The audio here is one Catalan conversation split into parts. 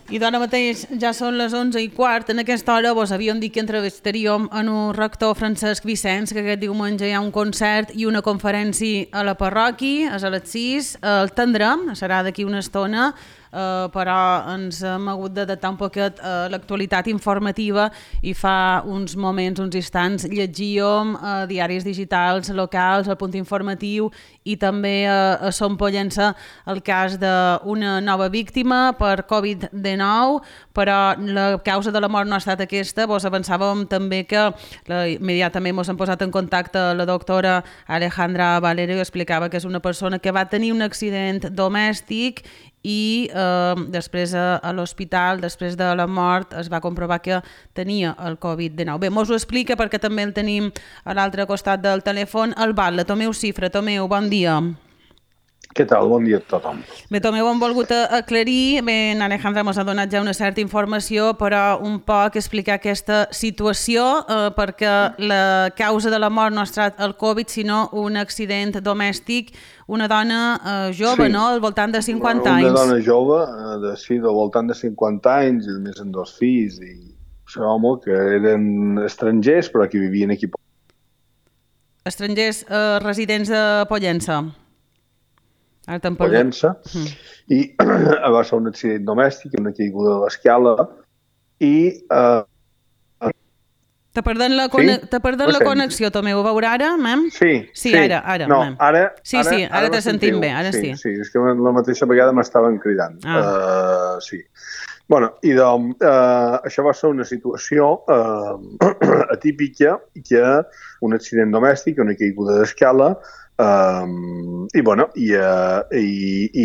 I d'ara mateix ja són les 11:15. En aquesta hora vos havíem dit que entrevistaríem en un rector Francesc Vicenç, que aquest diumenge hi ha un concert i una conferència a la parròquia, és a les 6. El tindrem, serà d'aquí una estona, però ens hem hagut d'adaptar un poquet a l'actualitat informativa i fa uns moments, uns instants, llegíem diaris digitals locals, el Punt Informatiu i també a Som Pollença el cas d'una nova víctima per Covid-19, però la causa de la mort no ha estat aquesta. Vos avançàvem també que immediatament ens hem posat en contacte la doctora Alejandra Valero i explicava que és una persona que va tenir un accident domèstic i després a l'hospital, després de la mort, es va comprovar que tenia el Covid-19. Bé, mos ho explica perquè també el tenim a l'altre costat del telèfon, el Batlle, Tomeu Cifra. Tomeu, bon dia. Què tal? Bon dia a tothom. Bé, Tomeu, hem volgut aclarir, bé, Alejandra mos ha donat ja una certa informació, però un poc explicar aquesta situació, perquè la causa de la mort no ha estat el Covid, sinó un accident domèstic, una dona jove, sí, no?, al voltant de 50 anys. Una dona jove, al voltant de 50 anys, i més amb 2 fills, i això, home, que eren estrangers, però que vivien aquí. Estrangers residents de Pollença. Pollença, i va ser un accident domèstic, una caiguda de l'escala, i... T'ha perdut la connexió, Tomeu. Ho veurà ara, mem? Sí. Ara. No, ara te sentim bé, ara sí. Sí, és que la mateixa vegada m'estaven cridant. Sí. Bueno, i doncs, això va ser una situació atípica, que un accident domèstic, una caiguda d'escala, i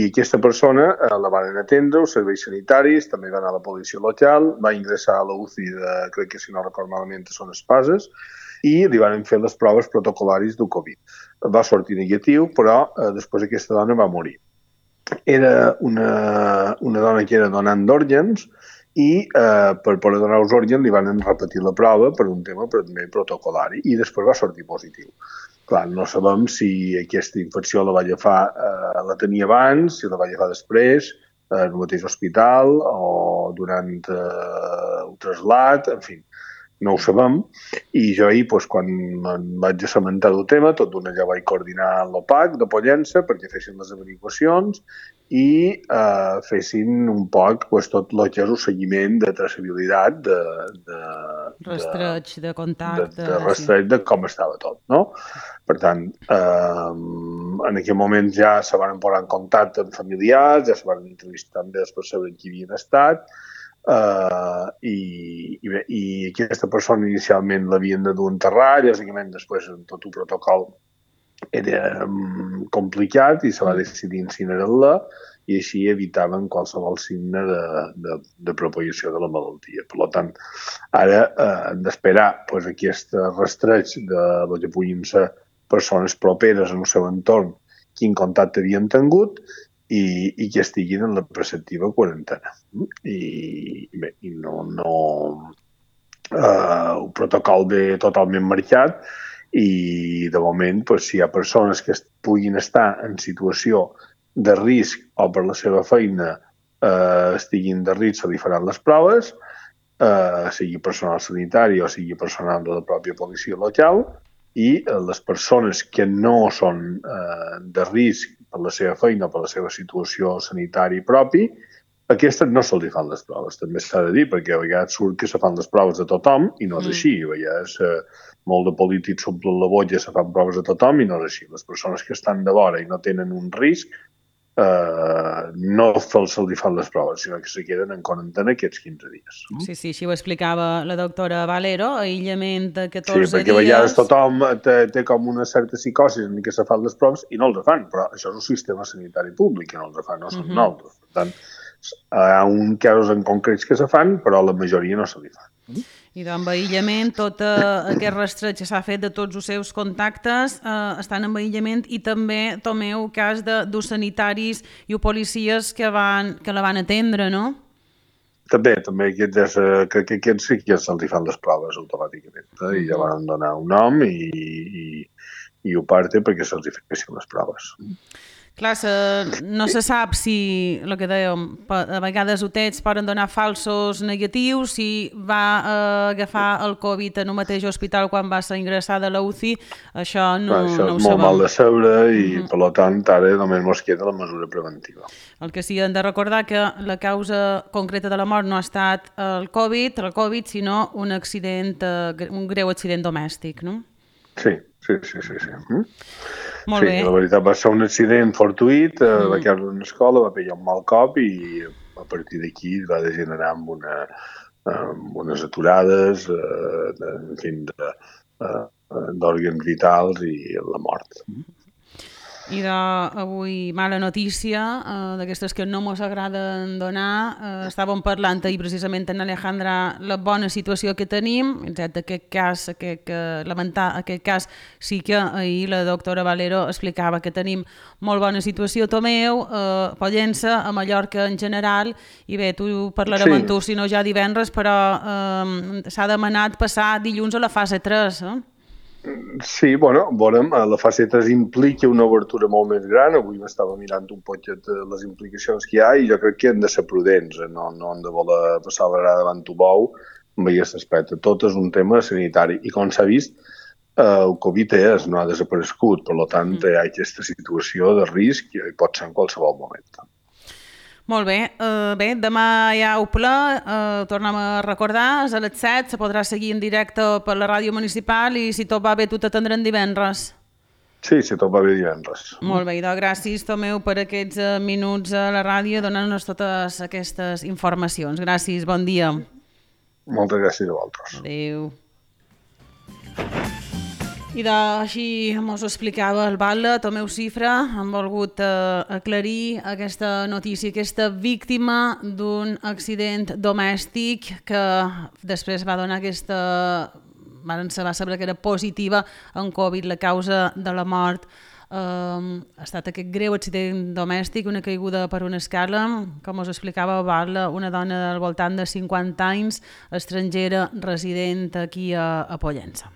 aquesta persona la van atendre, els serveis sanitaris, també va anar a la policia local, va ingressar a la UCI de, crec que si no recordo malament, Son Espases, i li van fer les proves protocol·laris del Covid. Va sortir negatiu, però després aquesta dona va morir. Era una dona que era donant d'òrgans i per poder donar els òrgans li van repetir la prova per un tema també protocol·lari i després va sortir positiu. Clar, no sabem si aquesta infecció la va agafar, la tenia abans, si la va agafar després, en el mateix hospital o durant el traslat, en fi, no ho sabem. I jo ahir, quan em vaig assabentar del tema, tot d'una ja vaig coordinar l'OPAC de Pollença perquè fessin les averiguacions i fessin un poc tot el que és el seguiment de traçabilitat, de rastreig, de contacte, de rastreig de com estava tot, no? Per tant, en aquell moment ja se van posar en contacte amb familiars, ja se van entrevistar amb les persones que havien estat, i aquesta persona inicialment l'havien de dur a enterrar, lògicament després tot el protocol era complicat i se va decidir incinerar-la i així evitaven qualsevol signe de propagació de la malaltia. Per tant, ara hem d'esperar aquest rastreig de el que puguin ser persones properes en el seu entorn, quin contacte havien tingut i que estiguin en la preceptiva quarantena. I bé, el protocol ve totalment marcat i de moment, si hi ha persones que puguin estar en situació de risc o per la seva feina estiguin de risc, se li faran les proves, sigui personal sanitari o sigui personal de la pròpia policia local, i les persones que no són de risc per la seva feina o per la seva situació sanitària propi, aquestes no se li fan les proves. També s'ha de dir, perquè a vegades surt que se fan les proves a tothom i no és així. A vegades molt de polítics s'omplen la bolla, se fan proves a tothom i no és així. Les persones que estan de vora i no tenen un risc no se li fan les proves, sinó que se queden en quarantena aquests 15 dies. Sí, així ho explicava la doctora Valero, aïllament de 14 dies... Sí, perquè a vegades tothom té com una certa psicosi en què se fan les proves i no els fan, però això és el sistema sanitari públic que no els fan, no són nosaltres. Per tant, hi ha uns casos en concrets que se fan, però la majoria no se li fan. I doncs, amb aïllament, tot aquest rastreig que s'ha fet de tots els seus contactes estan en aïllament i també, Tomeu, cas dels sanitaris i policies que la van atendre, no? També aquests sí que se'ls fan les proves automàticament i ja van donar un nom i ho parte perquè se'ls fessin les proves. Clar, no se sap si, el que dèiem, a vegades UTETs poden donar falsos negatius, si va agafar el Covid en un mateix hospital quan va ser ingressada a la UCI, això no ho sabem. Això és molt mal de saber i, per tant, ara només ens queda la mesura preventiva. El que sí, hem de recordar que la causa concreta de la mort no ha estat el Covid, sinó un accident, un greu accident domèstic, no? Sí. Molt bé. La veritat va ser un accident fortuït, va caure en una escola, va pegar un mal cop i a partir d'aquí va degenerar amb unes aturades, d'òrgans vitals i la mort. I avui mala notícia, d'aquestes que no ens agraden donar. Estàvem parlant ahir precisament amb Alejandra la bona situació que tenim, excepte lamentar aquest cas, sí que ahir la doctora Valero explicava que tenim molt bona situació a Tomeu, a Pollença, a Mallorca en general, i bé, tu parlarem amb tu, si no ja divendres, però s'ha demanat passar dilluns a la fase 3, Sí, veurem, la fase 3 implica una obertura molt més gran. Avui m'estava mirant un poquet les implicacions que hi ha i jo crec que hem de ser prudents, no hem de voler passar la grada davant un bou amb aquest aspecte. Tot és un tema sanitari i com s'ha vist, el Covid no ha desaparegut, per tant hi ha aquesta situació de risc i pot ser en qualsevol moment. Molt bé. Demà hi ha ple, tornem a recordar, és a les 7, se podrà seguir en directe per la ràdio municipal i si tot va bé tu t'atendrem divendres. Sí, si tot va bé divendres. Molt bé, doncs gràcies Tomeu per aquests minuts a la ràdio donant-nos totes aquestes informacions. Gràcies, bon dia. Moltes gràcies a vosaltres. Adéu. I així ens ho explicava el batlle, Tomeu Cifra, han volgut aclarir aquesta notícia, aquesta víctima d'un accident domèstic que després va donar se va saber que era positiva en Covid, la causa de la mort. Ha estat aquest greu accident domèstic, una caiguda per una escala, com us explicava el batlle, una dona al voltant de 50 anys, estrangera, resident aquí a Pollença.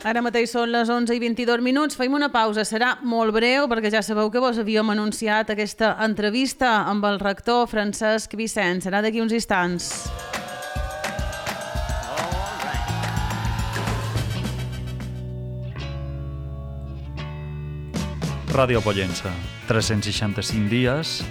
Ara mateix són les 11:22. Fem una pausa, serà molt breu perquè ja sabeu que vos havíem anunciat aquesta entrevista amb el rector Francesc Vicens. Serà d'aquí uns instants. Ràdio Pollença, 365 dies